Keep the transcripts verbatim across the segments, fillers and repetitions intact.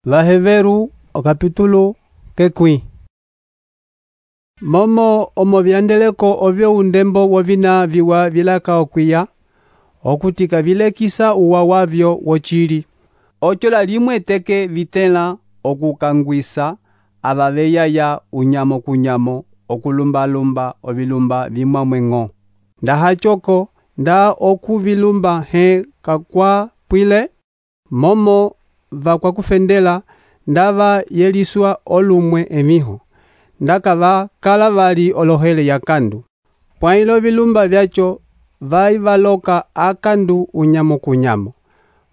Vaheveru okapitulo kekwi. Momo omo vyandeleko ovyo undembo wovina viwa vilaka okwiya, okutika vilekisa uwa wavyo wochili. Ochola limwe teke vitela okukangwisa avaveya ya unyamo kunyamo okulumba-lumba ovilumba vimwamwengo. Ndahachoko nda okuvilumba he kakwa pwile, momo vakwa kufendela ndava yeliswa olumwe emiho. Ndakava kala vali olohele ya kandu. Pwailo vilumba vyacho vai valoka akandu unyamo kunyamo.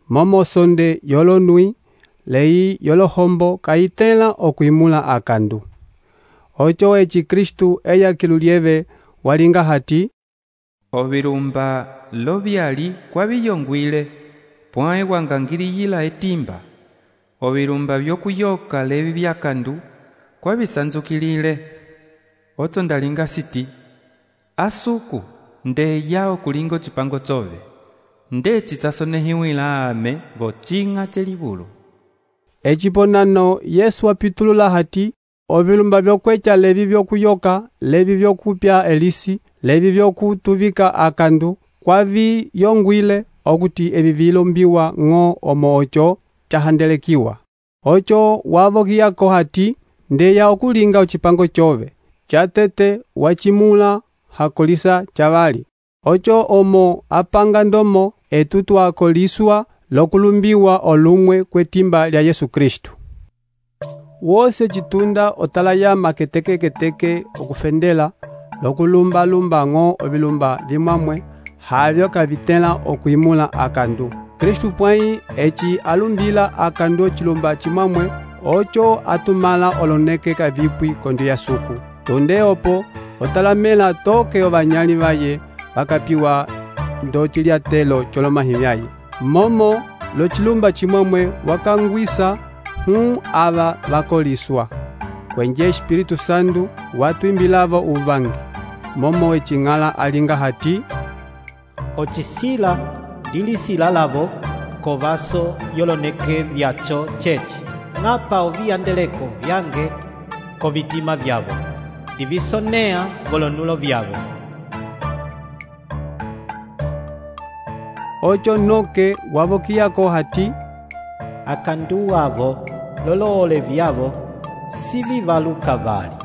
Momo sonde yolonui, lei yolohombo kaitela okuimula akandu. Ocho echi Kristu eya kilulieve walinga hati, ovilumba lovyali kwa viyongwile, pwae wangangiliyila etimba. Ovilumba vyokuyoka levi vyakandu kwa visanzukilile. Oto ndalinga siti, asuku nde yao kulingo chipango chove. Nde chisasonehiwila ame vochinga chelibulu. Echiponano Yesu apitulula hati, ovilumba vyokwecha levi vyokuyoka, levi vyokupya elisi, levi vyokutuvika akandu, kwa vi yongwile okuti evi vilombiwa ngo omo ocho chahandelekiwa. Ocho wavokiyako hati, ndeya okulinga uchipango chove, chatete wachimula hakolisa chavali. Ocho omo apanga ndomo etutu akoliswa lokulumbiwa olumwe kwetimba lya Yesu Kristu. Wose chitunda otalaya maketeke keteke okufendela lokulumba lumba ngo ovilumba vimamwe havyo kavitela okuimula akandu. Kristu pwai echi alumbila akandu chilumba chimamwe ocho atumala oloneke kavipwi kondo ya suku. Tonde opo otalamela toke ovanyali vaye bakapiwa ndo chilia telo cholomahimyaye. Momo lo chilumba chimamwe wakangwisa hu ava vakoliswa. Kwenye Espiritu Sandu watu imbilavo uvangi. Momo echingala alinga hati, ochisila dilisila lavo kovaso yoloneke vyacho chechi. Ngapa oviyandeleko vyange kovitima vyavo. Divisonea volonulo vyavo. Ocho noke wavokiyako hati, akandu wavo loloole vyavo sivivaluka vali.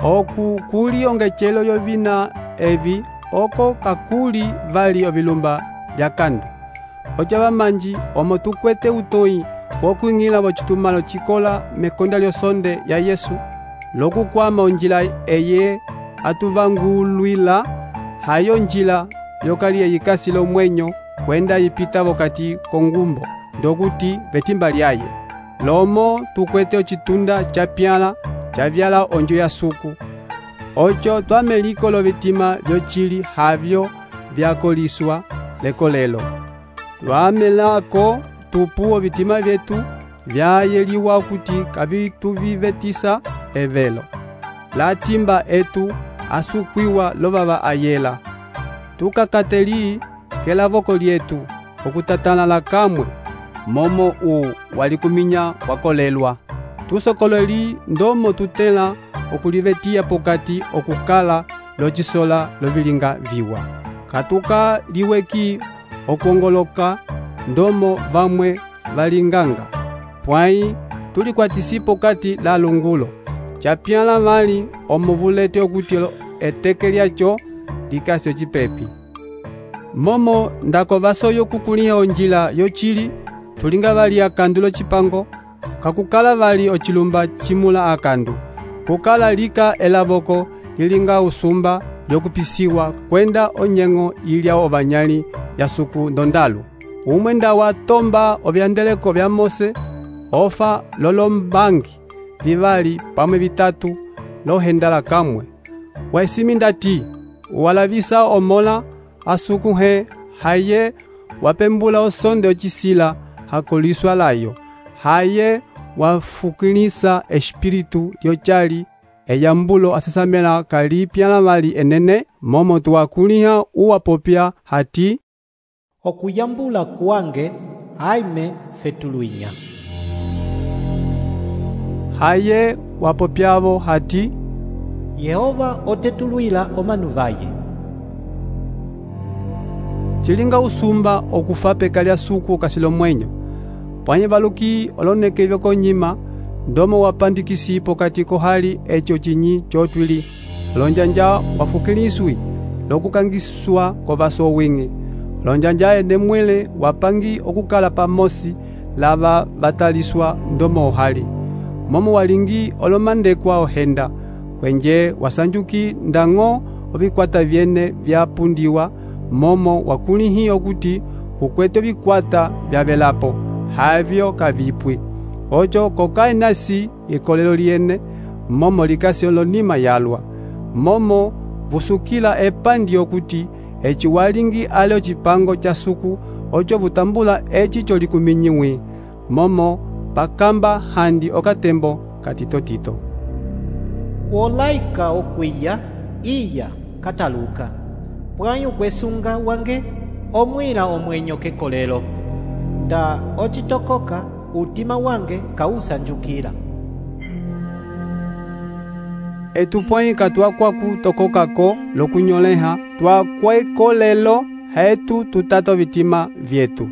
Oku kuli ongechelo yovina evi oko kakuli vali ovilumba vya kandu. Ocha vamanji omo tukwete utoi wokuingila wochitumalo chikola mekonda lyosonde ya Yesu lokukwama onjila eye atuvangulwila hayo njila yokali yikasi lomwenyo kwenda yipita vokati kongumbo ndokuti vetimba lyaye. Lomo tukwete ochitunda chapyala chavyala onjo ya suku. Ocho twameliko lovitima vyochili havyo vyakoliswa lekolelo. Twamelako tupu ovitima vyetu vyayeliwa kuti kavituvivetisa evelo. Latimba etu asukwiwa lovava ayela. Tukakateli kela voko lietu okutatana la kamwe momo u walikuminya wakolelwa. Tusokoleli ndomo tutela okulivetia pokati okukala lochisola lovilinga viwa. Katuka liweki okuongoloka ndomo vamwe valinganga. Pwai tulikwatisi pokati la lungulo. Chapyala vali omovulete okutilo eteke lyacho likasyo chipepi. Momo ndako vasoyo kukuliha onjila yochili tulinga vali akandu lochipango kakukala vali ochilumba chimula akandu. Kukala lika elavoko lilinga usumba lyokupisiwa kwenda onyengo ilya ovanyali ya suku ndondalu. Umwenda wa tomba ovyandeleko vya Mose ofa lolombangi vivali pamwe vitatu lohendala kamwe. Waisimi ndati walavisa omola asuku he haye wapembula osonde ochisila hakoliswa layo. Haye wafukilisa espiritu yochali eyambulo asesamela kalipyala vali enene momo tuwakuliha uwapopya hati, okuyambula kwange aime fetuluinya. Haye wapopyavo hati, Yehova otetuluila omanu vaye. chilinga usumba okufa peka lya suku kasilomwenyo. Pwanye valuki olonekele konyima, ndomo wapandikisi pokati kohali echo chinyi chotwili. Lonjanja wafukiliswi, lokukangiswa kovaso wingi. Lonjanja ende mwele wapangi okukala pamosi lava bataliswa ndomo ohali. Momo walingi olomandekwa ohenda, kwenje wasanjuki ndango ovikwata vyene vyapundiwa, momo wakulihi okuti ukwete vikwata vyavelapo, havyo kavipwi. Ocho kokai nasi ikolelo liene, momo likasi olonima yalwa. Momo vusukila epandi okuti echi walingi ale chipango cha suku, ocho vutambula echi cholikuminyiwi. Momo pakamba handi okatembo katitotito. Wolaika okwiya, iya kataluka. Pwanyu kwesunga wange, omwila omwenyo kekolelo. Nda ochitokoka, utima wange kausanjukila. Etupwai katwa kwaku tokokako lokunyoleha, twa kwekolelo hetu tutato vitima vyetu.